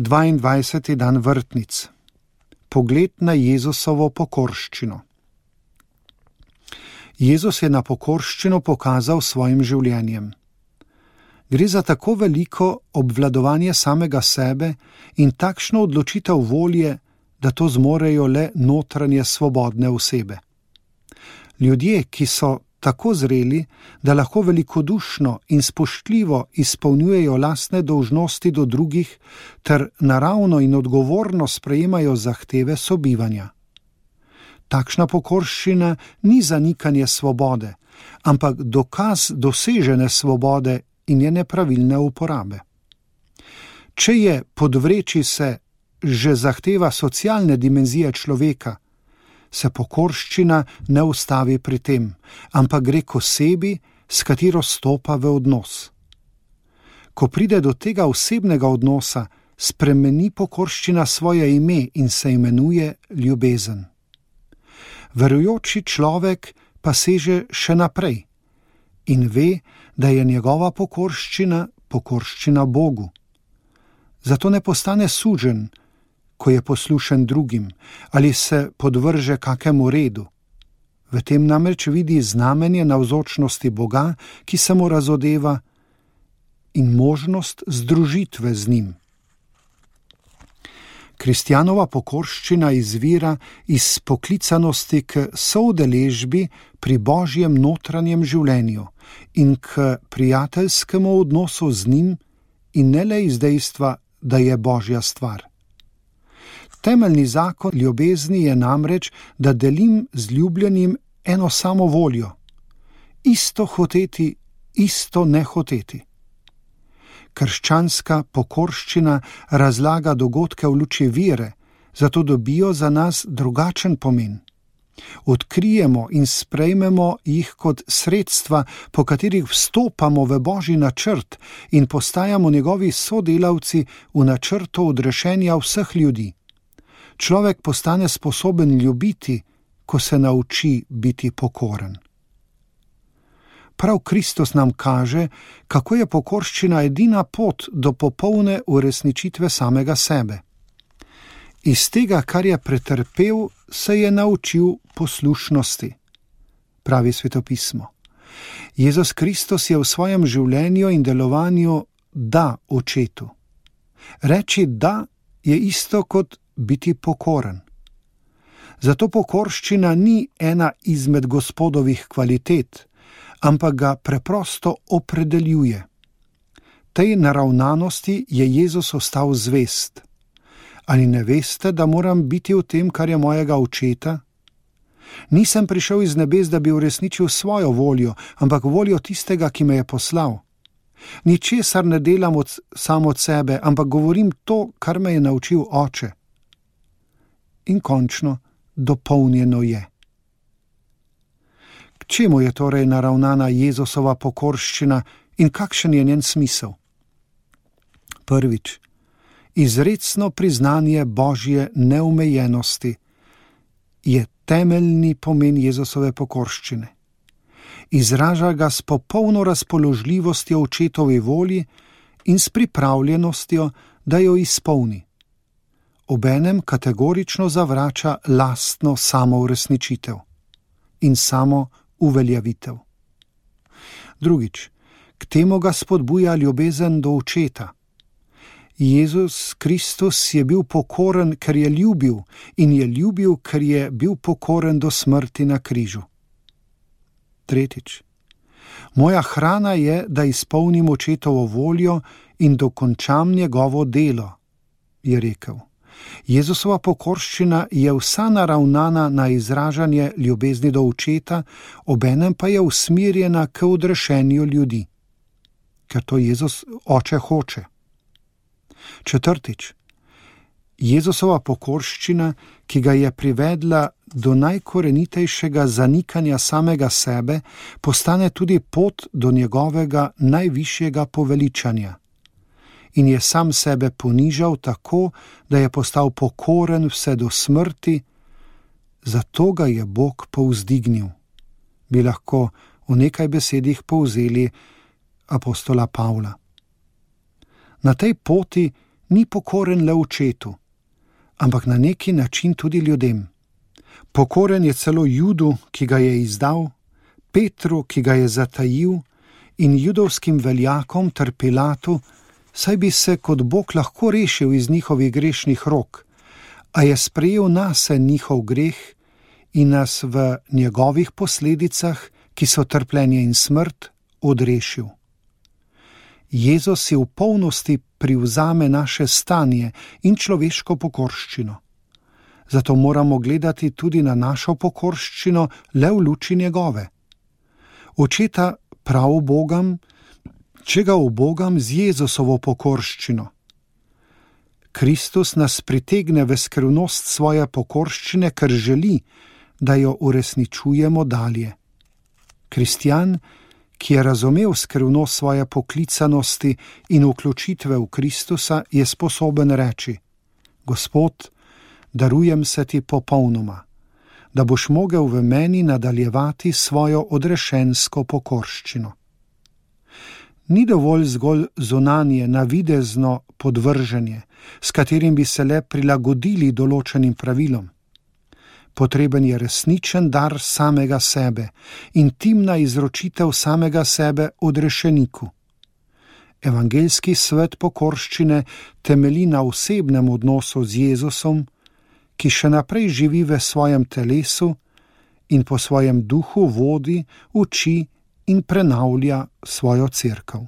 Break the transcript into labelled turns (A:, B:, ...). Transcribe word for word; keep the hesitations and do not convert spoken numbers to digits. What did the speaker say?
A: dvaindvajseti dan vrtnic. Pogled na Jezusovo pokorščino. Jezus je na pokorščino pokazal svojim življenjem. Gre za tako veliko obvladovanje samega sebe in takšno odločitev volje, da to zmorejo le notranje svobodne osebe. Ljudje, ki so tako zreli, da lahko velikodušno in spoštljivo izpolnjujejo lastne dolžnosti do drugih ter naravno in odgovorno sprejemajo zahteve sobivanja. Takšna pokorščina ni zanikanje svobode, ampak dokaz dosežene svobode in njene pravilne uporabe. Če je podvreči se že zahteva socialne dimenzije človeka, se pokorščina ne ustavi pri tem, ampak gre k osebi, s katero stopa v odnos. Ko pride do tega osebnega odnosa, spremeni pokorščina svoje ime in se imenuje ljubezen. Verujoči človek pa seže še naprej in ve, da je njegova pokorščina pokorščina Bogu. Zato ne postane suženj, ko je poslušen drugim, ali se podvrže kakemu redu. V tem namreč vidi znamenje navzočnosti Boga, ki se mu razodeva, in možnost združitve z njim. Kristjanova pokorščina izvira iz poklicanosti k soudeležbi pri Božjem notranjem življenju in k prijateljskemu odnosu z njim in ne le iz dejstva, da je Božja stvar. Temeljni zakon ljubezni je namreč, da delim z ljubljenim eno samo voljo, isto hoteti, isto ne hoteti. Krščanska pokorščina razlaga dogodke v luči vere, zato dobijo za nas drugačen pomen. Odkrijemo in sprejmemo jih kot sredstva, po katerih vstopamo v Božji načrt in postajamo njegovi sodelavci v načrtu odrešenja vseh ljudi. Človek postane sposoben ljubiti, ko se nauči biti pokoren. Prav Kristus nam kaže, kako je pokorščina edina pot do popolne uresničitve samega sebe. Iz tega, kar je pretrpel, se je naučil poslušnosti, pravi Svetopismo. Jezus Kristus je v svojem življenju in delovanju da očetu. Reči da je isto kot biti pokoren. Zato pokorščina ni ena izmed Gospodovih kvalitet, ampak ga preprosto opredeljuje. Tej naravnanosti je Jezus ostal zvest. Ali ne veste, da moram biti v tem, kar je mojega očeta? Nisem prišel iz nebes, da bi uresničil svojo voljo, ampak voljo tistega, ki me je poslal. Ničesar ne delam od, sam od sebe, ampak govorim to, kar me je naučil Oče. In končno, dopolnjeno je. K čemu je torej naravnana Jezusova pokorščina in kakšen je njen smisel? Prvič, izrecno priznanje Božje neomejenosti je temeljni pomen Jezusove pokorščine. Izraža ga s popolno razpoložljivostjo očetovi volji in s pripravljenostjo, da jo izpolni. Obenem kategorično zavrača lastno samouresničitev in samo uveljavitev. Drugič, k temu ga spodbuja ljubezen do očeta. Jezus Kristus je bil pokoren, ker je ljubil, in je ljubil, ker je bil pokoren do smrti na križu. Tretjič, moja hrana je, da izpolnim očetovo voljo in dokončam njegovo delo, je rekel. Jezusova pokorščina je vsa naravnana na izražanje ljubezni do očeta, obenem pa je usmerjena k odrešenju ljudi, ker to Jezus Oče hoče. Četrtič, Jezusova pokorščina, ki ga je privedla do najkorenitejšega zanikanja samega sebe, postane tudi pot do njegovega najvišjega poveličanja. In je sam sebe ponižal tako, da je postal pokoren vse do smrti, zato ga je Bog povzdignil. Bi lahko v nekaj besedih povzeli apostola Pavla. Na tej poti ni pokoren le očetu, ampak na neki način tudi ljudem. Pokoren je celo Judu, ki ga je izdal, Petru, ki ga je zatajil, in judovskim veljakom ter Pilatu, saj bi se kot Bog lahko rešil iz njihovih grešnih rok, a je sprejel nase njihov greh in nas v njegovih posledicah, ki so trpljenje in smrt, odrešil. Jezus si v polnosti privzame naše stanje in človeško pokorščino. Zato moramo gledati tudi na našo pokorščino le v luči njegove. Očeta prav ubogam, če ga ubogam z Jezusovo pokorščino. Kristus nas pritegne v skrivnost svoje pokorščine, ker želi, da jo uresničujemo dalje. Kristjan, ki je razumel skrivnost svoje poklicanosti in vključitve v Kristusa, je sposoben reči: Gospod, darujem se ti popolnoma, da boš mogel v meni nadaljevati svojo odrešensko pokorščino. Ni dovolj zgolj zunanje, navidezno podvrženje, s katerim bi se le prilagodili določenim pravilom. Potreben je resničen dar samega sebe, intimna izročitev samega sebe odrešeniku. Evangeljski svet pokorščine temelji na osebnem odnosu z Jezusom, ki še naprej živi v svojem telesu in po svojem duhu vodi, uči in prenavlja svojo cerkev.